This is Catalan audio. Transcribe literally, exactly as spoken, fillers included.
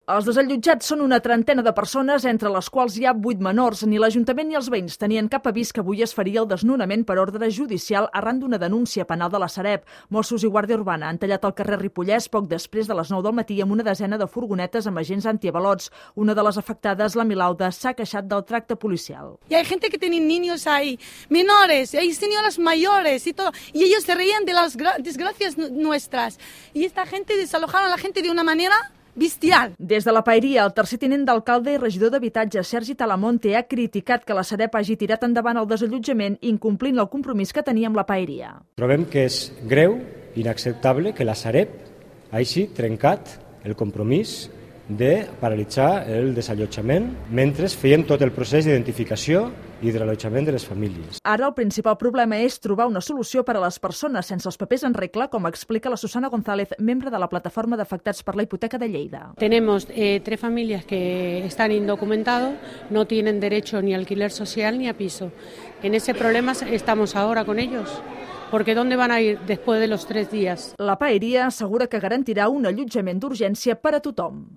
Els desallotjats són una trentena de persones, entre les quals hi ha vuit menors. Ni l'Ajuntament ni els veïns tenien cap avís que avui es faria el desnonament per ordre judicial arran d'una denúncia penal de la Sareb. Mossos i Guàrdia Urbana han tallat el carrer Ripollès poc després de les nou del matí amb una desena de furgonetes amb agents antiavalots. Una de les afectades, la Milauda, s'ha queixat del tracte policial. Y hay gente que tiene niños ahí, menores, hay señoras mayores y todo, y ellos se reían de las desgracias nuestras. Y esta gente desalojaron a la gente de una manera bestial. Des de la Paeria, el tercer tinent d'alcalde i regidor d'habitatge, Sergi Talamonte, ha criticat que la Sareb hagi tirat endavant el desallotjament incomplint el compromís que tenia amb la Paeria. Trobem que és greu, inacceptable, que la Sareb hagi trencat el compromís de paralitzar el desallotjament mentre feien tot el procés d'identificació i de l'allotjament de les famílies. Ara el principal problema és trobar una solució per a les persones sense els papers en regla, com explica la Susana González, membre de la plataforma d'afectats per la hipoteca de Lleida. Tenemos eh, tres familias que están indocumentados, no tienen derecho ni a alquiler social ni a piso. En ese problema estamos ahora con ellos. Porque ¿dónde van a ir después de los tres días? La Paeria assegura que garantirà un allotjament d'urgència per a tothom.